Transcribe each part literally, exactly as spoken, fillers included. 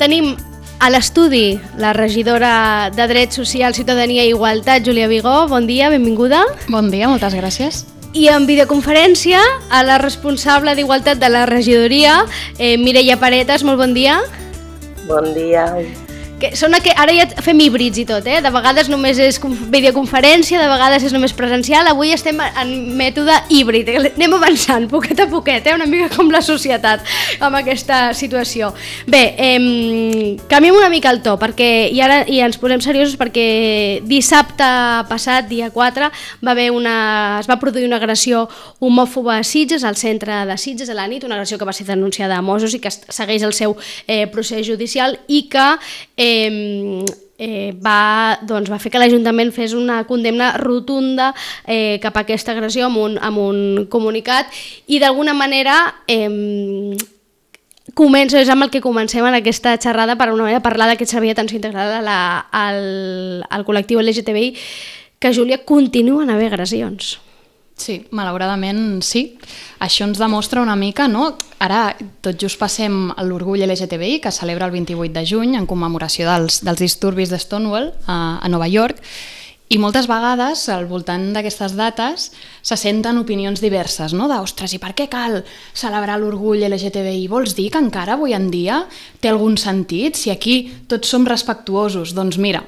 tenim a l'estudi la regidora de Drets Socials, Ciutadania i Igualtat, Júlia Vigó. Bon dia, benvinguda. Bon dia, moltes gràcies. I en videoconferència a la responsable d'Igualtat de la regidoria, eh, Mireia Paretas. Molt bon dia. Bon dia. Que són que ara ja fem híbrids i tot, eh? De vegades només és videoconferència, de vegades és només presencial. Avui estem en mètode híbrid, anem avançant poquet a poquet, eh? Una mica com la societat amb aquesta situació. Bé, eh, canviem una mica el to perquè, i ara i ens posem seriosos perquè dissabte passat, dia quatre, va haver una, es va produir una agressió homòfoba a Sitges, al centre de Sitges a la nit, una agressió que va ser denunciada a Mossos i que segueix el seu eh, procés judicial i que eh, Eh, eh, va, doncs, va fer que l'Ajuntament fes una condemna rotunda eh, cap a aquesta agressió amb un, amb un comunicat i d'alguna manera eh, començo, és amb el que comencem en aquesta xerrada per una manera parlar d'aquest servei d'atenció integral a la, al, al col·lectiu L G T B I, que, Júlia, continuen a haver agressions. Sí, malauradament sí. Això ens demostra una mica, no? Ara tot just passem l'Orgull L G T B I, que celebra el vint-i-vuit de juny en commemoració dels, dels disturbis de Stonewall a, a Nova York, i moltes vegades al voltant d'aquestes dates se senten opinions diverses, no? De, ostres, i per què cal celebrar l'Orgull L G T B I? Vols dir que encara avui en dia té algun sentit? Si aquí tots som respectuosos, doncs mira,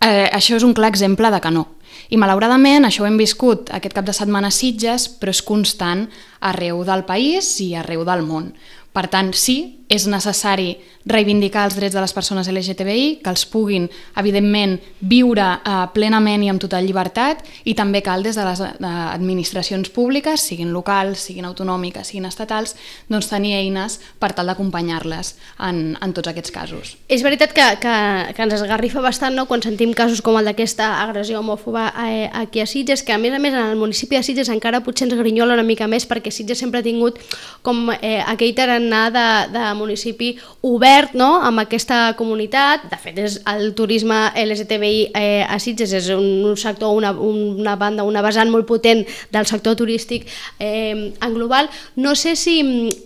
eh, això és un clar exemple de que no. I malauradament això ho hem viscut aquest cap de setmana a Sitges, però és constant arreu del país i arreu del món. Per tant, sí, és necessari reivindicar els drets de les persones L G T B I, que els puguin, evidentment, viure eh, plenament i amb total llibertat, i també cal des de les administracions públiques, siguin locals, siguin autonòmiques, siguin estatals, doncs tenir eines per tal d'acompanyar-les en, en tots aquests casos. És veritat que, que, que ens esgarrifa bastant, no?, quan sentim casos com el d'aquesta agressió homòfoba eh, aquí a Sitges, que a més a més en el municipi de Sitges encara potser ens grinyola una mica més, perquè Sitges sempre ha tingut com eh, aquell tarannà de, de municipi obert, no?, amb aquesta comunitat. De fet, és el turisme L G T B I eh, a Sitges és un, un sector, una, una banda, una vessant molt potent del sector turístic eh, en global. No sé si,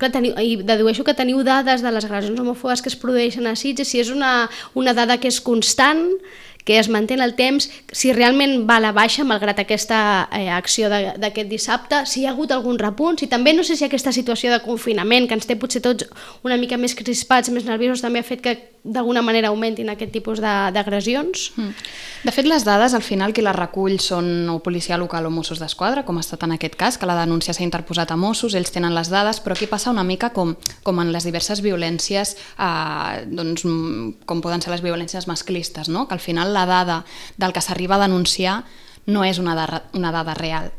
que teniu, i dedueixo que teniu dades de les agressions homòfobes que es produeixen a Sitges, si és una, una dada que és constant, que es manté en el temps, si realment va a la baixa malgrat aquesta eh, acció d'aquest dissabte, si hi ha hagut algun repunt, si també no sé si aquesta situació de confinament que ens té potser tots una mica més crispats, més nerviosos, també ha fet que d'alguna manera augmentin aquest tipus d'agressions. Mm. De fet, les dades al final qui les recull són o policia local o Mossos d'Esquadra, com ha estat en aquest cas, que la denúncia s'ha interposat a Mossos, ells tenen les dades, però aquí passa una mica com, com en les diverses violències, eh, doncs, com poden ser les violències masclistes, no? Que al final la dada del que s'arriba a denunciar no és una dada, una dada real.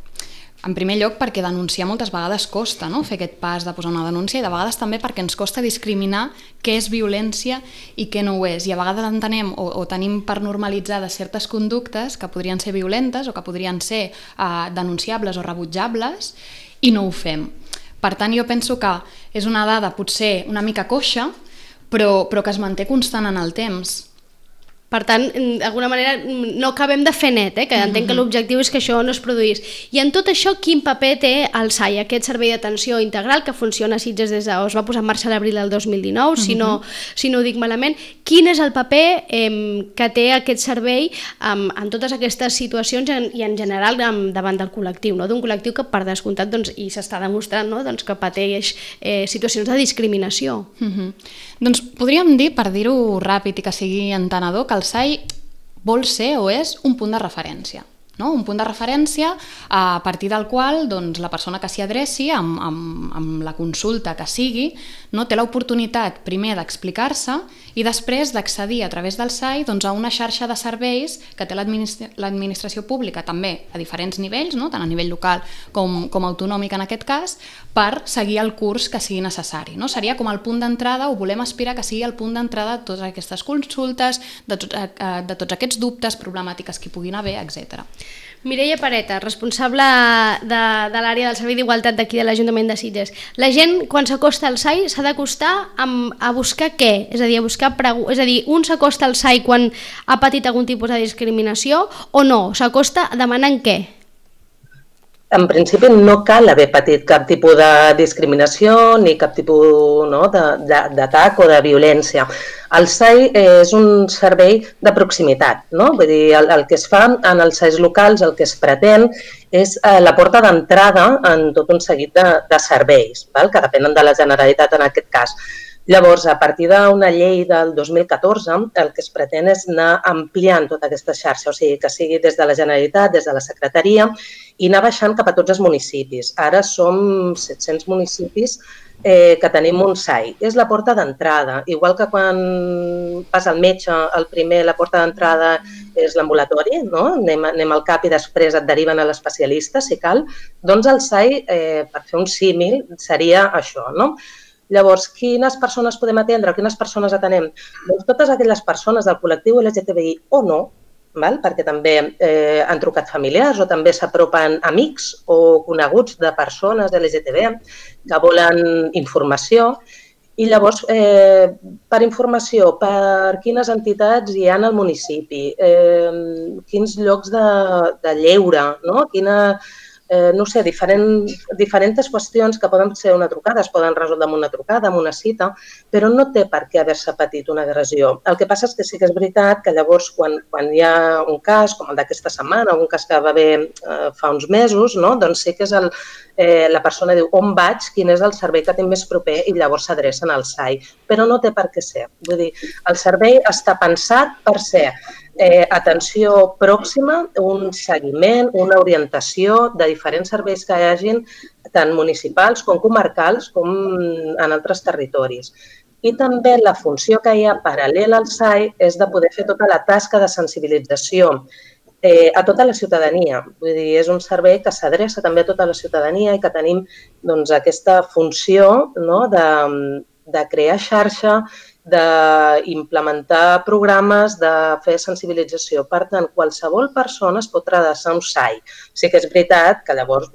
En primer lloc perquè denunciar moltes vegades costa, no?, fer aquest pas de posar una denúncia, i de vegades també perquè ens costa discriminar què és violència i què no ho és, i a vegades entenem o, o tenim per normalitzades certes conductes que podrien ser violentes o que podrien ser eh, denunciables o rebutjables, i no ho fem. Per tant, jo penso que és una dada potser una mica coixa, però, però que es manté constant en el temps. Per tant, d'alguna manera no acabem de fer net, eh? Que entenc que l'objectiu és que això no es produís. I en tot això, quin paper té el S A I, aquest servei d'atenció integral que funciona a Sitges des de... es va posar en marxa a l'abril del dos mil dinou, si no, si no ho dic malament. Quin és el paper eh, que té aquest servei en, en totes aquestes situacions i en general davant del col·lectiu, no? D'un col·lectiu que per descomptat, doncs, i s'està demostrant, no?, doncs, que pateix eh, situacions de discriminació. Uh-huh. Doncs podríem dir, per dir-ho ràpid i que sigui entenedor, que el S A I vol ser o és un punt de referència, no? Un punt de referència a partir del qual doncs, la persona que s'hi adreci amb, amb, amb la consulta que sigui, no, té l'oportunitat primer d'explicar-se i després d'accedir a través del S A I doncs, a una xarxa de serveis que té l'administra- l'administració pública també a diferents nivells, no? Tant a nivell local com, com autonòmic en aquest cas, per seguir el curs que sigui necessari, no? Seria com el punt d'entrada, o volem aspirar que sigui el punt d'entrada de totes aquestes consultes, de, tot, de tots aquests dubtes, problemàtiques que hi puguin haver, etcètera. Mireia Paretas, responsable de, de l'àrea del Servei d'Igualtat d'aquí de l'Ajuntament de Sitges. La gent, quan s'acosta al S A I, s'ha d'acostar a buscar què? És a dir, a buscar pregu- és a dir, un s'acosta al S A I quan ha patit algun tipus de discriminació o no? S'acosta demanant què? en principi no cal haver patit cap tipus de discriminació ni cap tipus no, d'atac o de violència. El S A I és un servei de proximitat, no? Vull dir, el, el que es fa en els S A Is locals, el que es pretén és eh, la porta d'entrada en tot un seguit de, de serveis, val? Que depenen de la Generalitat en aquest cas. Llavors, a partir d'una llei del dos mil catorze, el que es pretén és anar ampliant tota aquesta xarxa, o sigui, que sigui des de la Generalitat, des de la Secretaria, i anar baixant cap a tots els municipis. Ara som set-cents municipis eh, que tenim un S A I. És la porta d'entrada. Igual que quan vas al metge, el primer, la porta d'entrada és l'ambulatori, no? Anem, anem al cap i després et deriven a l'especialista, si cal. Doncs el S A I, eh, per fer un símil, seria això, no? Llavors, quines persones podem atendre? Quines persones atenem? Doncs totes aquelles persones del col·lectiu L G T B I o no, val? Perquè també eh, han trucat familiars o també s'apropen amics o coneguts de persones L G T B que volen informació. I llavors, eh, per informació, per quines entitats hi ha al municipi, eh, quins llocs de, de lleure, no? Quina... Eh, no sé, diferent, diferents qüestions que poden ser una trucada, es poden resoldre amb una trucada, amb una cita, però no té per què haver-se patit una agressió. El que passa és que sí que és veritat que llavors quan, quan hi ha un cas, com el d'aquesta setmana, un cas que va haver eh, fa uns mesos, no? Doncs sí que és el, eh, la persona diu on vaig, quin és el servei que tinc més proper i llavors s'adrecen al S A I. Però no té per què ser. Vull dir, el servei està pensat per ser Eh, atenció pròxima, un seguiment, una orientació de diferents serveis que hi hagin, tant municipals com comarcals, com en altres territoris. I també la funció que hi ha paral·lela al S A I és de poder fer tota la tasca de sensibilització eh, a tota la ciutadania. Vull dir, és un servei que s'adreça també a tota la ciutadania i que tenim doncs, aquesta funció, no?, de, de crear xarxa, d'implementar programes, de fer sensibilització. Per tant, qualsevol persona es pot adreçar a un S A I. Sí que és veritat que llavors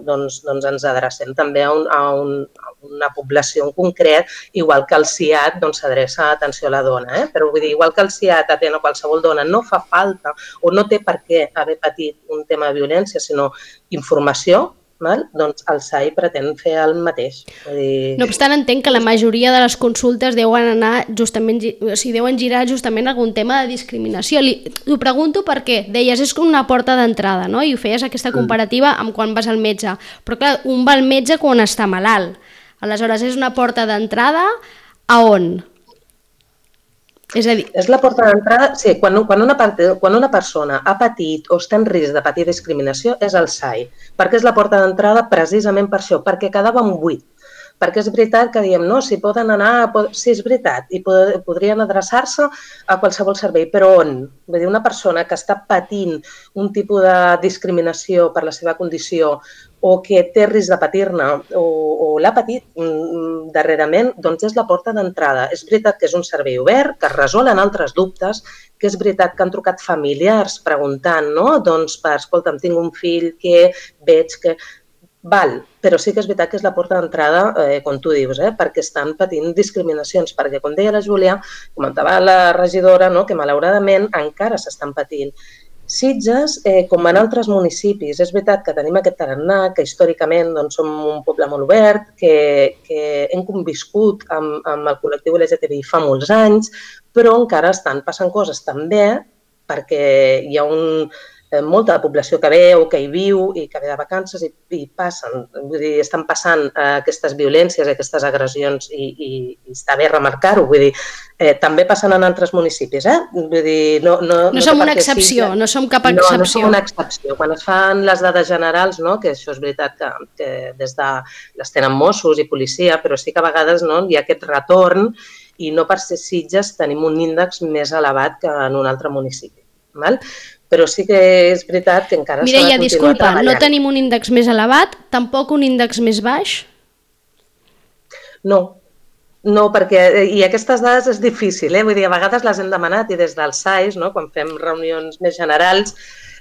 doncs, doncs ens adrecem també a, un, a, un, a una població en concret, igual que el S I A T doncs, s'adreça a atenció a la dona. Eh? Però vull dir, igual que el S I A T atén a qualsevol dona, no fa falta o no té per què haver patit un tema de violència, sinó informació. Val? Doncs el S A I pretén fer el mateix. Dir... No obstant, entenc que la majoria de les consultes deuen anar justament, o sigui, deuen girar justament algun tema de discriminació. Li, ho pregunto perquè deies és una porta d'entrada, no? I ho feies aquesta comparativa amb quan vas al metge. Però clar, un va al metge quan està malalt. Aleshores, és una porta d'entrada a on? És a dir... És la porta d'entrada... Sí, quan, quan, una, quan una persona ha patit o està en risc de patir discriminació és el S A I, perquè és la porta d'entrada precisament per això, perquè quedava un buit. Perquè és veritat que diem, no, si poden anar... Sí, és veritat, i pod podrien adreçar-se a qualsevol servei, però on? Vull dir, una persona que està patint un tipus de discriminació per la seva condició o que té risc de patir-ne o, o l'ha patit mm, darrerament, doncs és la porta d'entrada. És veritat que és un servei obert, que es resolen altres dubtes, que és veritat que han trucat familiars preguntant, no? Doncs, per, escolta'm, tinc un fill que veig que... Val, però sí que és veritat que és la porta d'entrada, eh, com tu dius, eh, perquè estan patint discriminacions, perquè, com deia la Júlia, comentava la regidora, no?, que malauradament encara s'estan patint. Sitges, eh, com en altres municipis, és veritat que tenim aquest tarannà, que històricament doncs, som un poble molt obert, que, que hem conviscut amb, amb el col·lectiu L G T B I fa molts anys, però encara estan passant coses també perquè hi ha un... molta població que ve o que hi viu i que ve de vacances i, i passen, vull dir, estan passant eh, aquestes violències, aquestes agressions i, i, i està bé remarcar-ho, vull dir, eh, també passen en altres municipis, eh? Vull dir, no, no, no, no som una excepció, sí, no som cap excepció. No, no som una excepció. Quan es fan les dades generals, no, que això és veritat que, que des de les tenen Mossos i policia, però sí que a vegades no, hi ha aquest retorn i no per ser Sitges tenim un índex més elevat que en un altre municipi, val? Però sí que és veritat que encara s'ha de continuar disculpa, treballant. No tenim un índex més elevat, tampoc un índex més baix? No, No, perquè, i aquestes dades és difícil, eh? Vull dir, a vegades les hem demanat i des dels S A I S, no? Quan fem reunions més generals,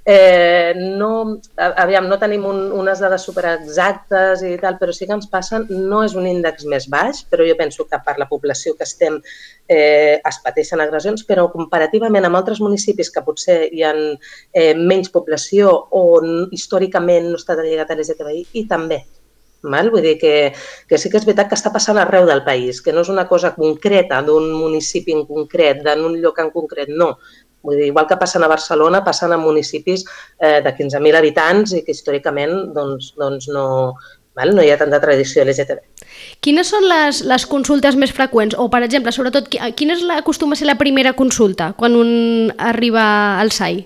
eh, no, aviam, no tenim un, unes dades superexactes i tal, però sí que ens passen, no és un índex més baix, però jo penso que per la població que estem eh, es pateixen agressions, però comparativament amb altres municipis que potser hi ha eh, menys població o històricament no està lligat a l'L G T B I, i també. Val? Vull dir que, que sí que és veritat que està passant arreu del país, que no és una cosa concreta d'un municipi en concret, d'un lloc en concret, no. Vull dir, igual que passen a Barcelona, passen a municipis eh, de quinze mil habitants i que històricament doncs, doncs no, val? No hi ha tanta tradició L G T B. Quines són les, les consultes més freqüents? O, per exemple, sobretot, quina és la, acostuma a ser la primera consulta quan un arriba al S A I?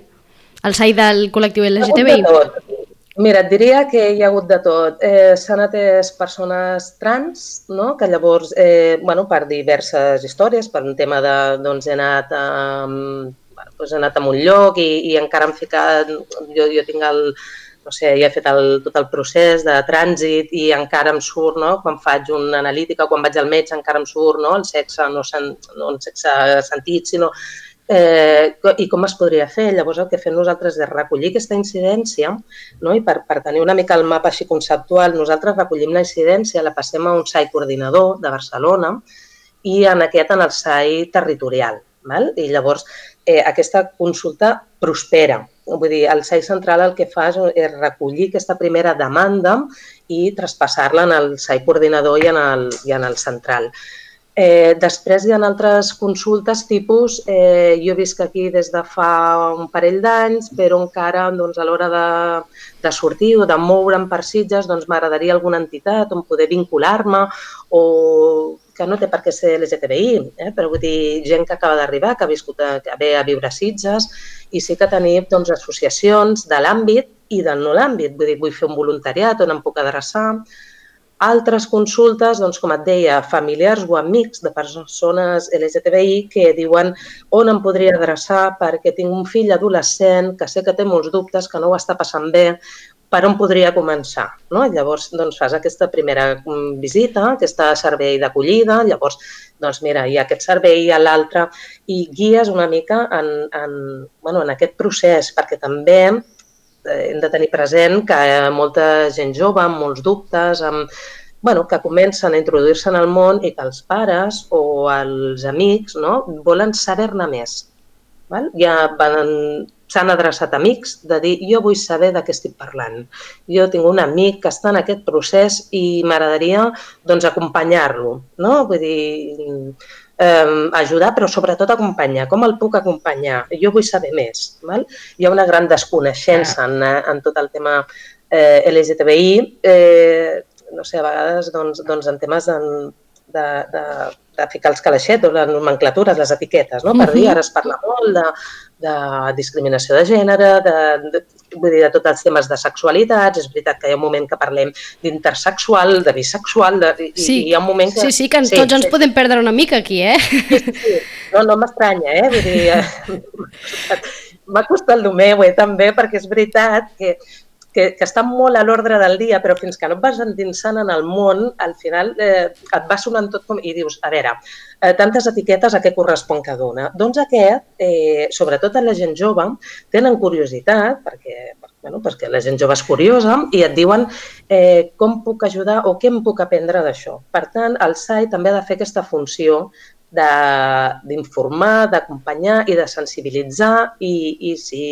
Al S A I del col·lectiu L G T B I? Mira, et diria que hi ha hagut de tot. Eh, S'han atès persones trans, no? Que llavors, eh, bueno, per diverses històries, per un tema de, doncs, he anat a, bueno, doncs he anat a un lloc i, i encara em ficat, jo, jo tinc el, no sé, ja he fet el, tot el procés de trànsit i encara em surt, no? Quan faig una analítica, quan vaig al metge encara em surt, no? El sexe, no, sen, no el sexe sentit, sinó Eh, i com es podria fer. Llavors el que fem nosaltres és recollir aquesta incidència, no? I per, per tenir una mica el mapa així conceptual, nosaltres recollim la incidència, la passem a un S A I coordinador de Barcelona i en aquest en el S A I territorial. Val? I llavors eh, aquesta consulta prospera. Vull dir, el S A I central el que fa és recollir aquesta primera demanda i traspassar-la en el S A I coordinador i en el, i en el central. Eh, després hi ha altres consultes tipus, eh, jo visc aquí des de fa un parell d'anys, però encara doncs, a l'hora de, de sortir o de moure'm per Sitges doncs, m'agradaria alguna entitat on poder vincular-me o que no té per què ser L G T B I, eh, però vull dir, gent que acaba d'arribar, que ha viscut a, que ve a viure a Sitges i sí que tenim doncs, associacions de l'àmbit i del no l'àmbit, vull dir, vull fer un voluntariat on em puc adreçar. Altres consultes, doncs, com et deia, familiars o amics de persones L G T B I que diuen on em podria adreçar perquè tinc un fill adolescent que sé que té molts dubtes, que no ho està passant bé, per on podria començar. No? Llavors doncs, fas aquesta primera visita, aquest servei d'acollida, llavors doncs, mira, hi ha aquest servei, hi ha l'altre, i guies una mica en, en, bueno, en aquest procés, perquè també hem de tenir present que molta gent jove amb molts dubtes, amb, bueno, que comencen a introduir-se en el món i que els pares o els amics no, volen saber-ne més. Val? Ja s'han adreçat amics de dir jo vull saber de què estic parlant. Jo tinc un amic que està en aquest procés i m'agradaria doncs, acompanyar-lo. No? Vull dir, Eh, ajudar, però sobretot acompanyar. Com el puc acompanyar? Jo vull saber més. Val? Hi ha una gran desconeixença en, en tot el tema eh, L G T B I. Eh, no sé, a vegades doncs, doncs en temes de, de, de, de ficar els calaixets, les nomenclatures, les etiquetes, no? Per dir, ara es parla molt de, de discriminació de gènere, de, de, vull dir, de tots els temes de sexualitats. És veritat que hi ha un moment que parlem d'intersexual, de bisexual, de, i, sí, i hi ha un moment que... Sí, sí, que sí, tots ens sí. podem perdre una mica aquí, eh? Sí, sí, sí. No, no m'estranya, eh? Vull dir, m'ha costat el meu, eh, també, perquè és veritat que Que, que està molt a l'ordre del dia, però fins que no et vas endinsant en el món, al final eh, et va sonant tot com... I dius, a veure, eh, tantes etiquetes a què correspon cada una? Doncs aquest, eh, sobretot a la gent jove, tenen curiositat, perquè, bueno, perquè la gent jove és curiosa, i et diuen eh, com puc ajudar o què em puc aprendre d'això. Per tant, el S A I també ha de fer aquesta funció d'informar, d'acompanyar i de sensibilitzar i, i, si,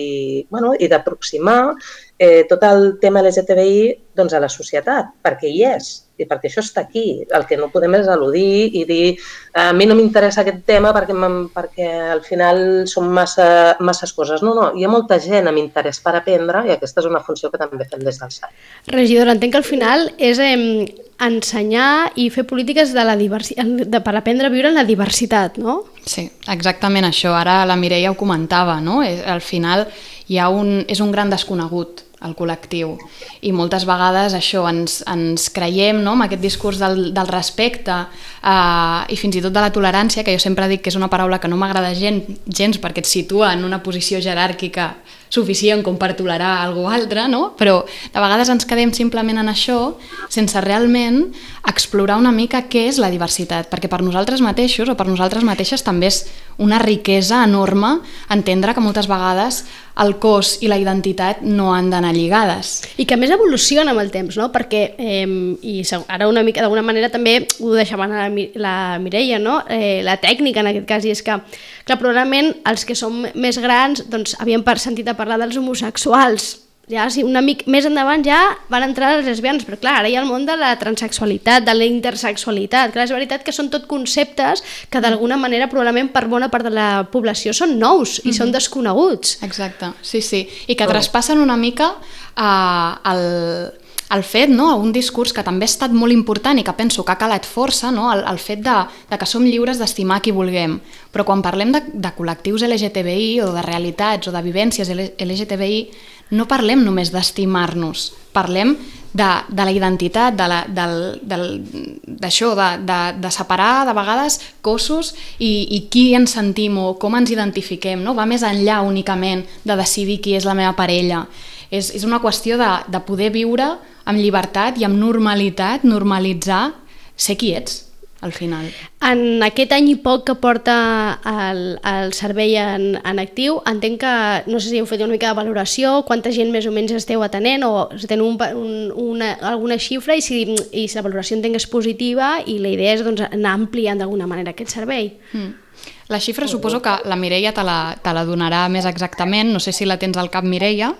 bueno, i d'aproximar eh, tot el tema L G T B I doncs, a la societat, perquè hi és i perquè això està aquí. El que no podem és al·ludir i dir a mi no m'interessa aquest tema perquè, perquè al final són massa, masses coses. No, no, hi ha molta gent amb interès per aprendre i aquesta és una funció que també fem des del S A I. Regidora, entenc que al final és eh, ensenyar i fer polítiques de la diversitat, de, per aprendre a viure en la diversitat, no? Sí, exactament això. Ara la Mireia ho comentava, no? Al final hi ha un, és un gran desconegut el col·lectiu i moltes vegades això ens, ens creiem no? Amb aquest discurs del, del respecte eh, i fins i tot de la tolerància, que jo sempre dic que és una paraula que no m'agrada gens, gens perquè et situa en una posició jeràrquica suficient com per tolerar algú altre, no? Però de vegades ens quedem simplement en això sense realment explorar una mica què és la diversitat, perquè per nosaltres mateixos o per nosaltres mateixes també és una riquesa enorme entendre que moltes vegades el cos i la identitat no han d'anar lligades. I que a més evoluciona amb el temps, no? Perquè, eh, i ara una mica d'alguna manera també ho deixava la, la Mireia, no? Eh, la tècnica en aquest cas, i és que, clar, probablement els que som més grans doncs havíem sentit a parlar dels homosexuals, ja, sí, una mica més endavant ja van entrar les lesbianes, però clar, ara hi ha el món de la transsexualitat, de la intersexualitat. Clar, és veritat que són tot conceptes que d'alguna manera probablement per bona part de la població són nous i mm-hmm. són desconeguts. Exacte, sí, sí, i que traspassen una mica eh, el... el fet, no, un discurs que també ha estat molt important i que penso que ha calat força, no, el, el fet de, de que som lliures d'estimar qui vulguem. Però quan parlem de, de col·lectius L G T B I o de realitats o de vivències L G T B I, no parlem només d'estimar-nos, parlem de, de la identitat, de la, del, del, d'això, de, de, de separar de vegades cossos i, i qui ens sentim o com ens identifiquem, no? Va més enllà únicament de decidir qui és la meva parella. És, és una qüestió de, de poder viure amb llibertat i amb normalitat, normalitzar ser qui ets, al final. En aquest any i poc que porta el, el servei en, en actiu, entenc que, no sé si heu fet una mica de valoració, quanta gent més o menys esteu atenent, o si teniu un, un, una, alguna xifra, i si, i si la valoració entenc és positiva, i la idea és doncs, anar ampliant d'alguna manera aquest servei. Mm. La xifra suposo que la Mireia te la, te la donarà més exactament, no sé si la tens al cap, Mireia.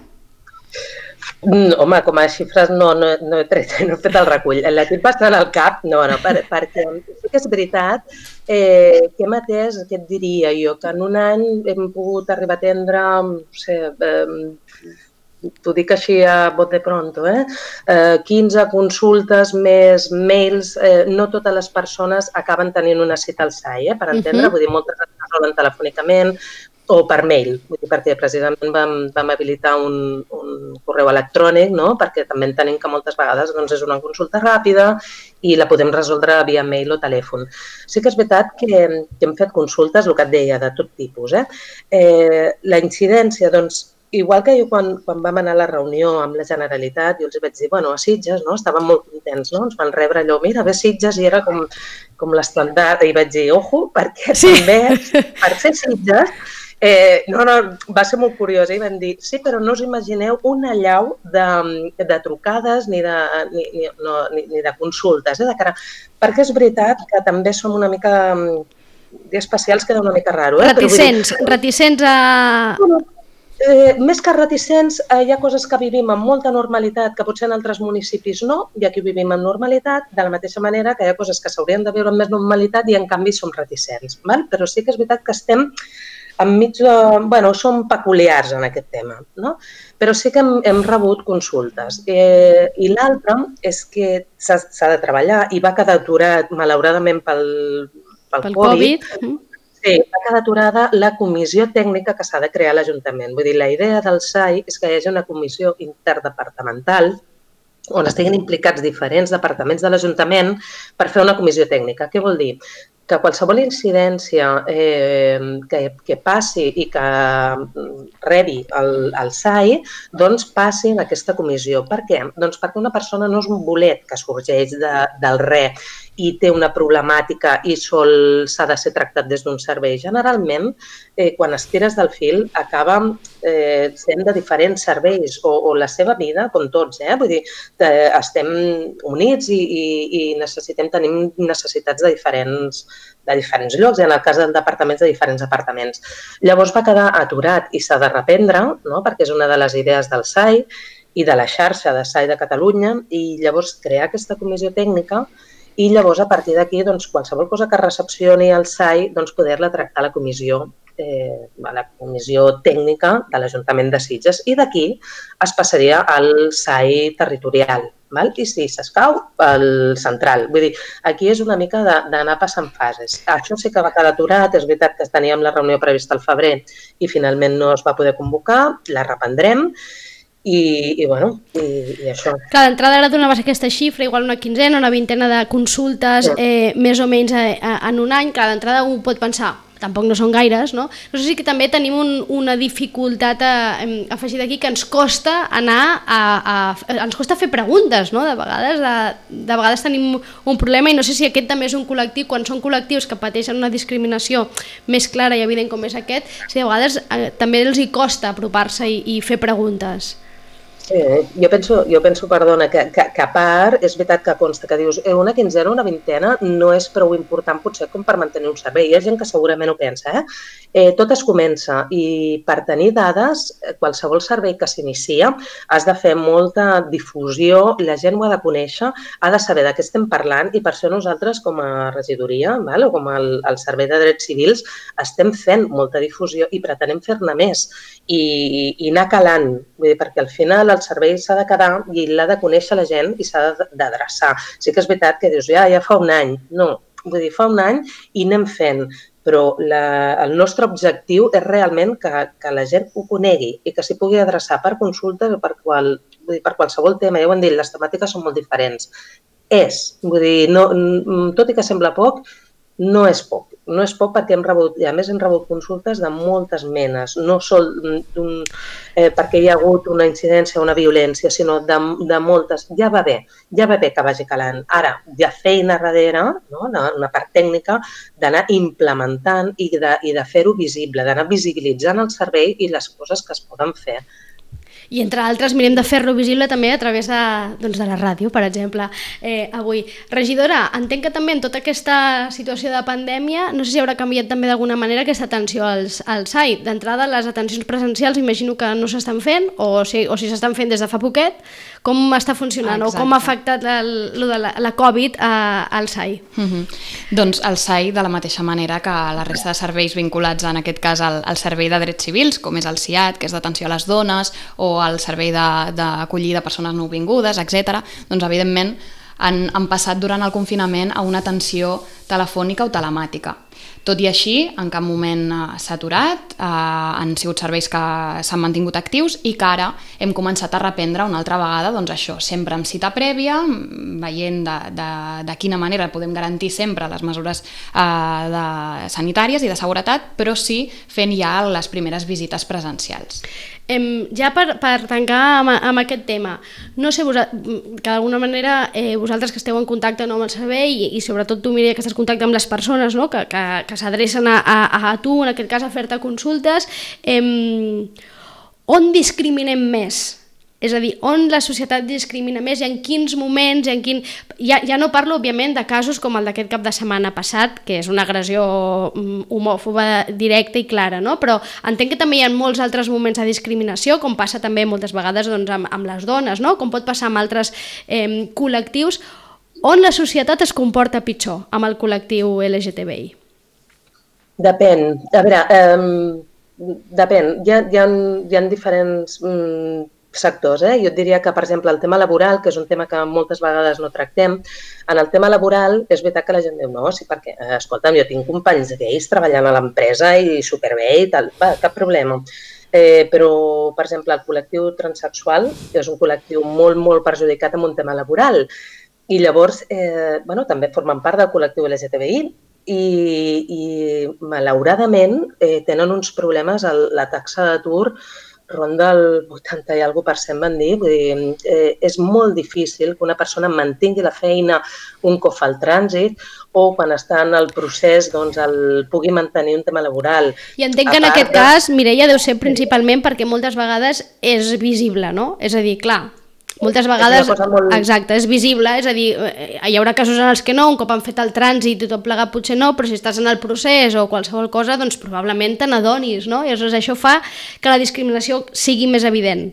Mm, home, com a xifres no, no, no, he tret, no he fet el recull. La tinc bastant al cap, no, no, per, perquè sí que és veritat eh, que hem atès, què et diria jo, que en un any hem pogut arribar a atendre, no sé, eh, t'ho dic així a bote pronto, eh? eh, quinze consultes més mails, eh, no totes les persones acaben tenint una cita al S A I, eh, per entendre, uh-huh. Vull dir, moltes es resolen telefònicament, o per mail, perquè precisament vam, vam habilitar un, un correu electrònic, no? Perquè també entenem que moltes vegades doncs, és una consulta ràpida i la podem resoldre via mail o telèfon. Sí que és veritat que, que hem fet consultes, el que et deia, de tot tipus. Eh? Eh, la incidència, doncs, igual que jo quan, quan vam anar a la reunió amb la Generalitat, jo els vaig dir, bueno, a Sitges, no? Estaven molt contents, no? Ens van rebre allò, mira, ve Sitges, i era com, com l'estandard, i vaig dir, ojo, perquè sí. També, per ser Sitges, Eh, no, no, va ser molt curiós, eh? Van dir, sí, però no us imagineu una allau de, de trucades ni de, ni, ni, no, ni, ni de consultes, eh? De cara... Perquè és veritat que també som una mica, especials queda una mica raro. Eh? Reticents, dir... reticents a... No, eh, més que reticents, eh, hi ha coses que vivim amb molta normalitat, que potser en altres municipis no, i aquí vivim amb normalitat, de la mateixa manera que hi ha coses que s'haurien de viure amb més normalitat i en canvi som reticents. Val? Però sí que és veritat que estem enmig de... Bueno, som peculiars en aquest tema, no? Però sí que hem, hem rebut consultes. Eh, I l'altre és que s'ha de treballar i va quedar aturat, malauradament, pel, pel, pel Covid. COVID. Sí, va quedar aturada la comissió tècnica que s'ha de crear a l'Ajuntament. Vull dir, la idea del S A I és que hi hagi una comissió interdepartamental on estiguin implicats diferents departaments de l'Ajuntament per fer una comissió tècnica. Què vol dir? Que qualsevol incidència eh, que, que passi i que rebi el, el S A I, doncs passi en aquesta comissió. Per què? Doncs perquè una persona no és un bolet que sorgeix de, del res i té una problemàtica i sol s'ha de ser tractat des d'un servei. Generalment, eh, quan es tires del fil, acaba eh, sent de diferents serveis o, o la seva vida, com tots. Eh? Vull dir, eh, estem units i, i, i necessitem, tenim necessitats de diferents, de diferents llocs, i en el cas del departament, de diferents departaments. Llavors va quedar aturat i s'ha de reprendre, no? Perquè és una de les idees del S A I i de la xarxa de S A I de Catalunya, i llavors crear aquesta comissió tècnica i llavors, a partir d'aquí, doncs, qualsevol cosa que recepcioni el S A I, doncs, poder-la tractar a la comissió, eh, a la comissió tècnica de l'Ajuntament de Sitges. I d'aquí es passaria al S A I territorial. Val? I si s'escau, el central. Vull dir, aquí és una mica d'anar passant fases. Això sí que va quedar aturat, és veritat que teníem la reunió prevista al febrer i finalment no es va poder convocar, la reprendrem. I, i bueno, i, i això. Clar, d'entrada ara donaves aquesta xifra, igual una quinzena, una vintena de consultes, sí. eh, més o menys eh, en un any. Clar, d'entrada un pot pensar, tampoc no són gaires, no? No sé si que també tenim un, una dificultat a, a afegir d'aquí, que ens costa anar a, a, a ens costa fer preguntes, no? De vegades, de, de vegades tenim un problema, i no sé si aquest també és un col·lectiu, quan són col·lectius que pateixen una discriminació més clara i evident com és aquest, si de vegades eh, també els hi costa apropar-se i, i fer preguntes. Sí, jo penso, jo penso perdona, que, que, que a part és veritat que consta que dius eh, una quinzena o una vintena no és prou important potser com per mantenir un servei. Hi ha gent que segurament ho pensa, eh? eh tot es comença, i per tenir dades, qualsevol servei que s'inicia has de fer molta difusió, la gent ho ha de conèixer, ha de saber de què estem parlant, i per això nosaltres com a regidoria, val? O com el, el Servei de Drets Civils estem fent molta difusió i pretenem fer-ne més i, i anar calant, vull dir, perquè al final el servei s'ha de quedar i l'ha de conèixer la gent i s'ha d'adreçar. Sí que és veritat que dius, ja, ja fa un any. No, vull dir, fa un any i anem fent, però la, el nostre objectiu és realment que, que la gent ho conegui i que s'hi pugui adreçar per consultes o per, qual, vull dir, per qualsevol tema. Ja ho hem dit, les temàtiques són molt diferents. És, vull dir, no, tot i que sembla poc, no és poc. No és poc perquè hem rebut, i a més hem rebut consultes de moltes menes, no sol un, eh, perquè hi ha hagut una incidència o una violència, sinó de, de moltes. Ja va bé, ja va bé que vagi calant. Ara, hi ha feina darrere, no? una, una part tècnica, d'anar implementant i de, i de fer-ho visible, d'anar visibilitzant el servei i les coses que es poden fer. I entre altres mirem de fer-lo visible també a través de, doncs de la ràdio, per exemple, eh, avui. Regidora, entenc que també en tota aquesta situació de pandèmia, no sé si haurà canviat també d'alguna manera aquesta atenció als, al S A I. D'entrada, les atencions presencials imagino que no s'estan fent, o si, o si s'estan fent des de fa poquet. Com està funcionant Exacte. O com ha afectat el, la, la Covid a, al S A I? Mm-hmm. Doncs el S A I, de la mateixa manera que la resta de serveis vinculats, en aquest cas al, al Servei de Drets Civils, com és el S I A D, que és d'atenció a les dones, o el servei d'acollida de persones nouvingudes, etcètera, doncs evidentment han, han passat durant el confinament a una atenció telefònica o telemàtica. Tot i així, en cap moment s'ha aturat, eh, han sigut serveis que s'han mantingut actius i que ara hem començat a reprendre una altra vegada, doncs això, sempre amb cita prèvia, veient de, de, de quina manera podem garantir sempre les mesures eh, de, sanitàries i de seguretat, però sí fent ja les primeres visites presencials. Eh, ja per, per tancar amb, amb aquest tema, no sé, vos, que d'alguna manera eh, vosaltres que esteu en contacte no, amb el servei i, i sobretot tu, Mireia, que estàs en contacte amb les persones, no? que, que, que s'adrecen a, a, a tu, en aquest cas a fer-te consultes, eh, on discriminem més? És a dir, on la societat discrimina més i en quins moments, en quin... Ja, ja no parlo, òbviament, de casos com el d'aquest cap de setmana passat, que és una agressió homòfoba directa i clara, no? Però entenc que també hi ha molts altres moments de discriminació, com passa també moltes vegades doncs, amb, amb les dones, no? Com pot passar amb altres eh, col·lectius, on la societat es comporta pitjor amb el col·lectiu L G T B I? Depèn. A veure, eh, depèn. Hi ha, hi ha, hi ha diferents... Mm, sectors. Eh? Jo et diria que, per exemple, el tema laboral, que és un tema que moltes vegades no tractem, en el tema laboral és veritat que la gent diu no, sí, perquè, escolta'm, jo tinc companys gais treballant a l'empresa i superbé i tal, va, cap problema. Eh, però, per exemple, el col·lectiu transsexual és un col·lectiu molt, molt perjudicat amb un tema laboral i llavors, eh, bueno, també formen part del col·lectiu L G T B I i, i malauradament, eh, tenen uns problemes, el, la taxa d'atur ronda el vuitanta i alguna per cent van dir, vull dir, eh, és molt difícil que una persona mantingui la feina un cop fa el trànsit o quan està en el procés doncs el pugui mantenir un tema laboral. I entenc que en aquest de... cas, Mireia, deu ser principalment perquè moltes vegades és visible, no? És a dir, clar, moltes vegades, és molt... exacte, és visible, és a dir, hi haurà casos en els que no, un cop han fet el trànsit i tot plegat potser no, però si estàs en el procés o qualsevol cosa, doncs probablement te n'adonis, no? I aleshores això fa que la discriminació sigui més evident.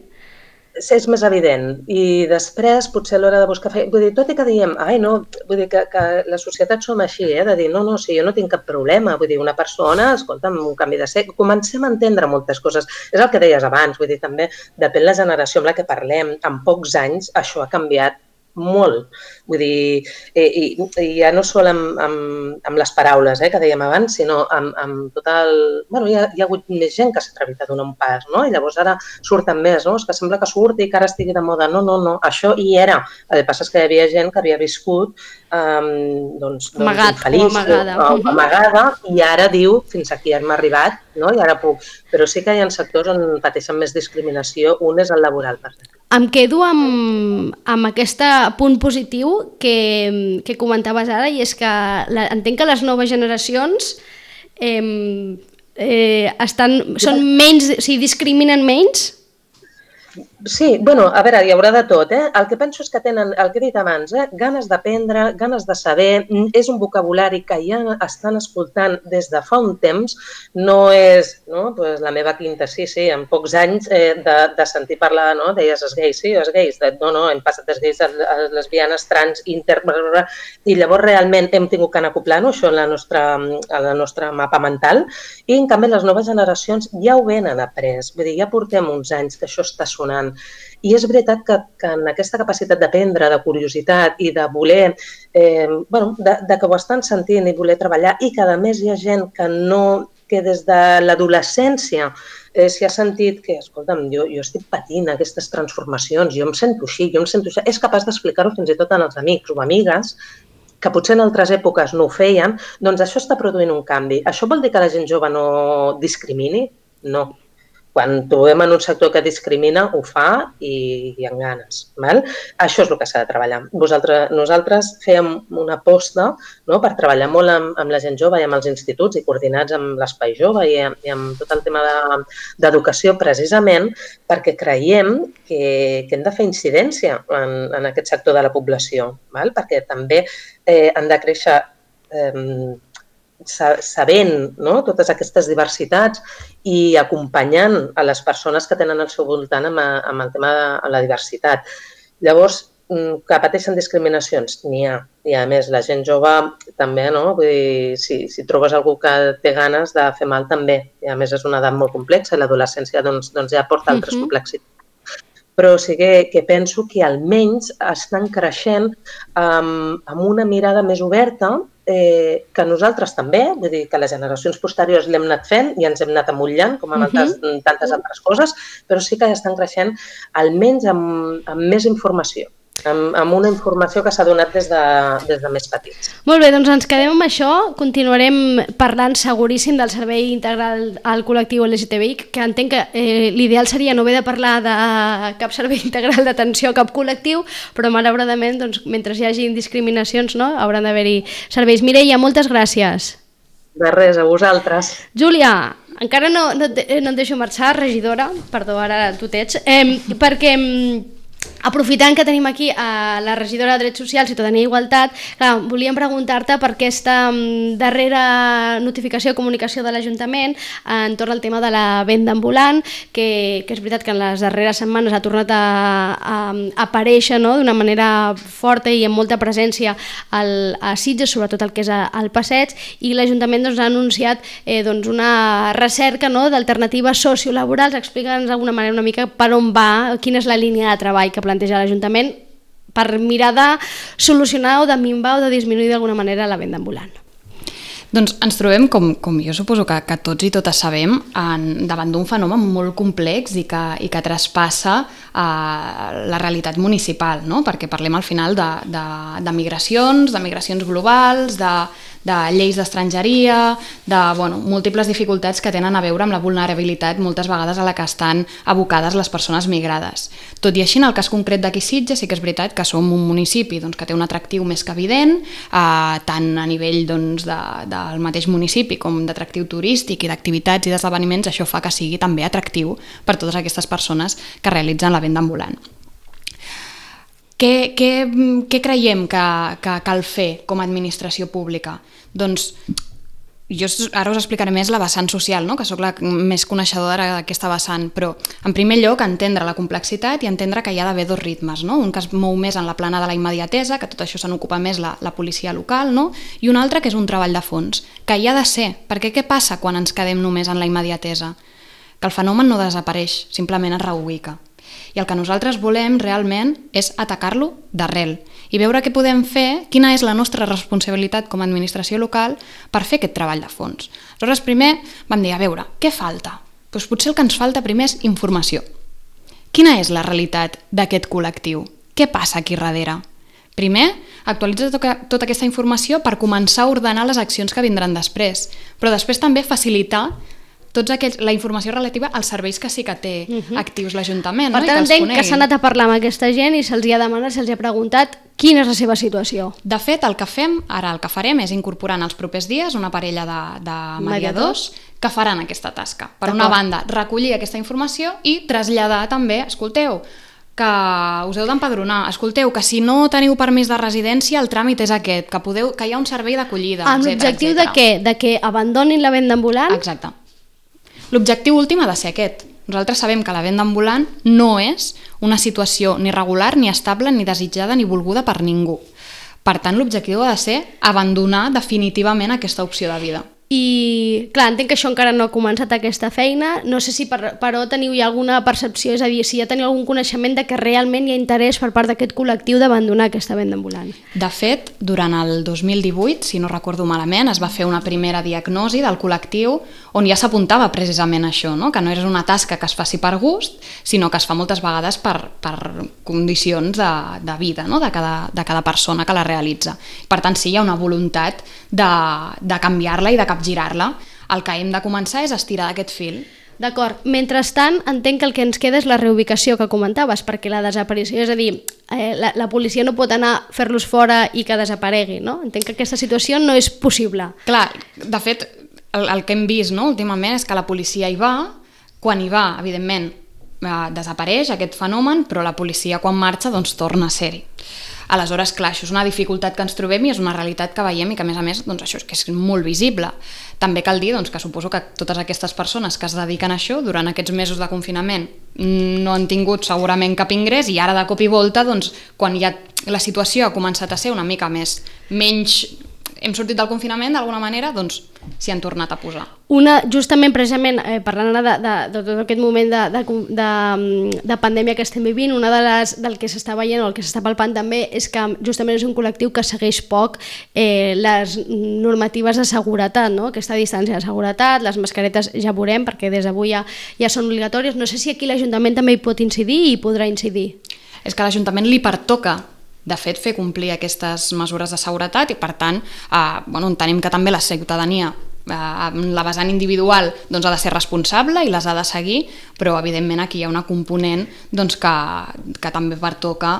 És més evident i després potser a l'hora de buscar feina, vull dir, tot i que diem, ai no, vull dir que, que la societat som així, eh, de dir no, no, si jo no tinc cap problema, vull dir, una persona, escolta'm, un canvi de sexe, comencem a entendre moltes coses, és el que deies abans, vull dir, també depèn la generació amb la que parlem, en pocs anys això ha canviat molt. Vull dir, i, i ja no sol amb, amb, amb les paraules eh, que dèiem abans, sinó amb, amb tot el... Bueno, hi ha, hi ha hagut més gent que s'ha atrevit a donar un pas, no? I llavors ara surten més, no? És que sembla que surti i que ara estigui de moda. No, no, no, això hi era. El que passa és que hi havia gent que havia viscut um, doncs, Amagat, doncs, infeliç, o amagada. O, o amagada, i ara diu, fins aquí hem arribat, no? I ara puc. Però sí que hi ha sectors on pateixen més discriminació. Un és el laboral, per exemple. Em quedo amb, amb aquest punt positiu que, que comentaves ara, i és que la, entenc que les noves generacions eh, eh, estan, són menys, o sigui, discriminen menys. Sí, bueno, a veure, hi haurà de tot, eh? El que penso és que tenen, el que he dit abans, eh? ganes d'aprendre, ganes de saber, és un vocabulari que ja estan escoltant des de fa un temps, no és no? Pues la meva quinta, sí, sí, en pocs anys eh, de, de sentir parlar, no? Deies els gais, sí, els gais, de, no, no, hem passat dels gais a les lesbianes, trans, inter... i llavors realment hem tingut que anar acoplant això en la nostra, en la nostra mapa mental, i en canvi les noves generacions ja ho venen après, vull dir, ja portem uns anys que això està sonant. I és veritat que, que en aquesta capacitat d'aprendre, de curiositat i de voler, eh, bueno, de, de que ho estan sentint i voler treballar, i que a més hi ha gent que no, que des de l'adolescència eh, s'hi ha sentit que, escolta'm, jo, jo estic patint aquestes transformacions, jo em sento així, jo em sento així, és capaç d'explicar-ho fins i tot als amics o amigues, que potser en altres èpoques no ho feien, doncs això està produint un canvi. Això vol dir que la gent jove no discrimini? No. Quan trobem en un sector que discrimina, ho fa i, i amb ganes. Val? Això és el que s'ha de treballar. Vosaltres, nosaltres fèiem una aposta, no?, per treballar molt amb, amb la gent jove i amb els instituts i coordinats amb l'Espai Jove i, i amb tot el tema d'educació, de, precisament perquè creiem que, que hem de fer incidència en, en aquest sector de la població, val? Perquè també eh, han de créixer eh, sabent, no?, totes aquestes diversitats i acompanyant a les persones que tenen al seu voltant amb, amb el tema de la diversitat. Llavors, que pateixen discriminacions? N'hi ha. I a més, la gent jove també, no? Vull dir, si, si trobes algú que té ganes de fer mal, també. I a més, és una edat molt complexa i l'adolescència doncs, doncs ja porta altres uh-huh. complexitats. Però sí que, que penso que almenys estan creixent amb, amb una mirada més oberta, eh, que nosaltres també, vull dir que les generacions posteriors l'hem anat fent i ens hem anat amullant, com amb altres, uh-huh. tantes altres coses, però sí que estan creixent almenys amb, amb més informació. Amb, amb una informació que s'ha donat des de, des de més petits. Molt bé, doncs ens quedem amb això. Continuarem parlant seguríssim del servei integral al col·lectiu L G T B I, que entenc que eh, l'ideal seria no haver de parlar de cap servei integral d'atenció a cap col·lectiu, però malauradament, doncs, mentre hi hagi discriminacions, no?, hauran d'haver-hi serveis. Mireia, moltes gràcies. De res, a vosaltres. Júlia, encara no, no, et, no et deixo marxar, regidora, perdó, ara tu t'ets, eh, perquè... Aprofitant que tenim aquí a la regidora de Drets Socials, Ciutadania i Igualtat, clar, volíem preguntar-te per aquesta darrera notificació o comunicació de l'Ajuntament entorn al tema de la venda ambulant, que, que és veritat que en les darreres setmanes ha tornat a, a, a aparèixer, no?, d'una manera forta i amb molta presència al, a Sitges, sobretot el que és al Passeig, i l'Ajuntament doncs, ha anunciat eh, doncs, una recerca, no?, d'alternatives sociolaborals. Explica'ns d'alguna manera una mica per on va, quina és la línia de treball que planteja l'Ajuntament per mirar de solucionar o de minvar o de disminuir d'alguna manera la venda ambulant. Doncs ens trobem, com, com jo suposo que, que tots i totes sabem, en, davant d'un fenomen molt complex i que, i que traspassa eh, la realitat municipal, no? Perquè parlem al final de, de, de migracions, de migracions globals, de, de lleis d'estrangeria, de bueno, múltiples dificultats que tenen a veure amb la vulnerabilitat moltes vegades a la que estan abocades les persones migrades. Tot i així, en el cas concret d'aquí Sitges, sí que és veritat que som un municipi doncs, que té un atractiu més que evident, eh, tant a nivell doncs, de, del mateix municipi com d'atractiu turístic i d'activitats i d'esdeveniments, això fa que sigui també atractiu per totes aquestes persones que realitzen la venda ambulant. Què, què, què creiem que, que cal fer com a administració pública? Doncs jo ara us explicaré més la vessant social, no? Que sóc la més coneixedora d'aquesta vessant, però en primer lloc entendre la complexitat i entendre que hi ha d'haver dos ritmes, no? Un que es mou més en la plana de la immediatesa, que tot això se n'ocupa més la, la policia local, no? I un altre que és un treball de fons, que hi ha de ser, perquè què passa quan ens quedem només en la immediatesa? Que el fenomen no desapareix, simplement es reubica. I el que nosaltres volem realment és atacar-lo d'arrel i veure què podem fer, quina és la nostra responsabilitat com a administració local per fer aquest treball de fons. Aleshores, primer vam dir, a veure, què falta? Doncs potser el que ens falta primer és informació. Quina és la realitat d'aquest col·lectiu? Què passa aquí darrere? Primer, actualitza tota aquesta informació per començar a ordenar les accions que vindran després, però després també facilitar tots aquells, la informació relativa als serveis que sí que té uh-huh. actius l'Ajuntament. Per no? tant, I que entenc que s'ha anat a parlar amb aquesta gent i se'ls ha demanat, se'ls ha preguntat quina és la seva situació. De fet, el que fem, ara el que farem és incorporar en els propers dies una parella de, de mediadors que faran aquesta tasca. Per una banda, recollir aquesta informació i traslladar també, escolteu, que us heu d'empadronar, escolteu, que si no teniu permís de residència, el tràmit és aquest, que, podeu, que hi ha un servei d'acollida, amb l'objectiu de què? De que abandonin la venda ambulant? Exacte. L'objectiu últim ha de ser aquest. Nosaltres sabem que la venda ambulant no és una situació ni regular, ni estable, ni desitjada, ni volguda per ningú. Per tant, l'objectiu ha de ser abandonar definitivament aquesta opció de vida. I, clar, entenc que això encara no ha començat aquesta feina, no sé si per, però teniu ja alguna percepció, és a dir, si ja teniu algun coneixement de que realment hi ha interès per part d'aquest col·lectiu d'abandonar aquesta venda ambulant. De fet, durant el dos mil divuit, si no recordo malament, es va fer una primera diagnosi del col·lectiu on ja s'apuntava precisament això, no? Que no és una tasca que es faci per gust, sinó que es fa moltes vegades per, per condicions de, de vida, no? de, cada, de cada persona que la realitza. Per tant, sí, hi ha una voluntat de, de canviar-la i de girar-la. El que hem de començar és estirar d'aquest fil. D'acord. Mentrestant, entenc que el que ens queda és la reubicació que comentaves, perquè la desaparició, és a dir, eh, la, la policia no pot anar a fer-los fora i que desaparegui, no? Entenc que aquesta situació no és possible. Clar, de fet, el, el que hem vist no, últimament és que la policia hi va, quan hi va, evidentment, eh, desapareix aquest fenomen, però la policia quan marxa doncs torna a ser-hi. Aleshores, clar, això és una dificultat que ens trobem i és una realitat que veiem i que, a més a més, doncs, això és que és molt visible. També cal dir doncs, que suposo que totes aquestes persones que es dediquen a això durant aquests mesos de confinament no han tingut segurament cap ingrés i ara de cop i volta, doncs, quan ja la situació ha començat a ser una mica més menys... hem sortit del confinament d'alguna manera, doncs s'hi han tornat a posar. Una, justament, precisament, eh, parlant de, de, de tot aquest moment de, de, de, de pandèmia que estem vivint, una de les, del que s'està veient o el que s'està palpant també és que justament és un col·lectiu que segueix poc eh, les normatives de seguretat, no? Aquesta distància de seguretat, les mascaretes ja veurem, perquè des d'avui ja, ja són obligatòries. No sé si aquí l'Ajuntament també hi pot incidir i hi podrà incidir. És que a l'Ajuntament li pertoca de fet, fer complir aquestes mesures de seguretat i, per tant, eh, bueno, entenem que també la ciutadania eh, la vessant individual doncs, ha de ser responsable i les ha de seguir, però evidentment aquí hi ha una component doncs, que, que també pertoca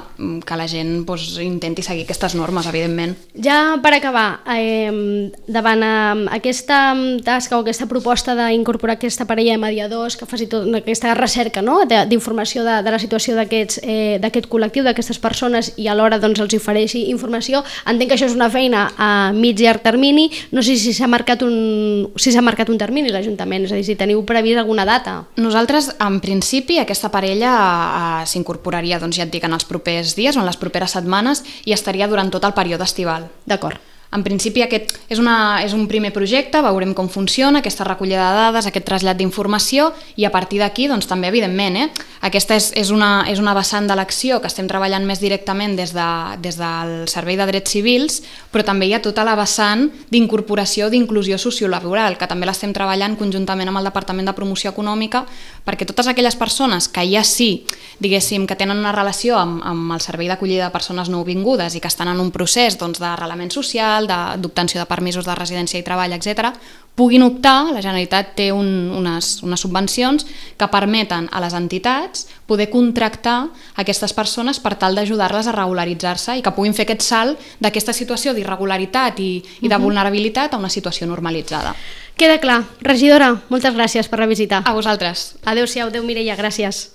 que la gent doncs, intenti seguir aquestes normes, evidentment. Ja per acabar, eh, davant eh, aquesta tasca o aquesta proposta d'incorporar aquesta parella de mediadors que faci tota aquesta recerca, no? d'informació de, de la situació d'aquest eh, col·lectiu, d'aquestes persones, i alhora doncs, els ofereixi informació, entenc que això és una feina a mig i llarg termini. No sé si s'ha marcat un, si s'ha marcat un termini l'Ajuntament, és a dir, si teniu previst alguna data. Nosaltres, en principi, aquesta parella eh, s'incorporaria, doncs ja et dic, en els propers dies o en les properes setmanes i estaria durant tot el període estival. D'acord. En principi aquest és, una, és un primer projecte, veurem com funciona, aquesta recollida de dades, aquest trasllat d'informació, i a partir d'aquí, doncs també evidentment, eh, aquesta és, és, una, és una vessant de l'acció que estem treballant més directament des, de, des del Servei de Drets Civils, però també hi ha tota la vessant d'incorporació d'inclusió sociolaboral, que també l'estem treballant conjuntament amb el Departament de Promoció Econòmica, perquè totes aquelles persones que ja sí, diguéssim, que tenen una relació amb, amb el Servei d'Acollida de Persones Nouvingudes i que estan en un procés doncs, d'arrelament social, d'obtenció de permisos de residència i treball, etcètera, puguin optar, la Generalitat té un, unes, unes subvencions que permeten a les entitats poder contractar aquestes persones per tal d'ajudar-les a regularitzar-se i que puguin fer aquest salt d'aquesta situació d'irregularitat i, i de vulnerabilitat a una situació normalitzada. Queda clar. Regidora, moltes gràcies per la visita. A vosaltres. Adéu-siau, adéu Mireia, gràcies.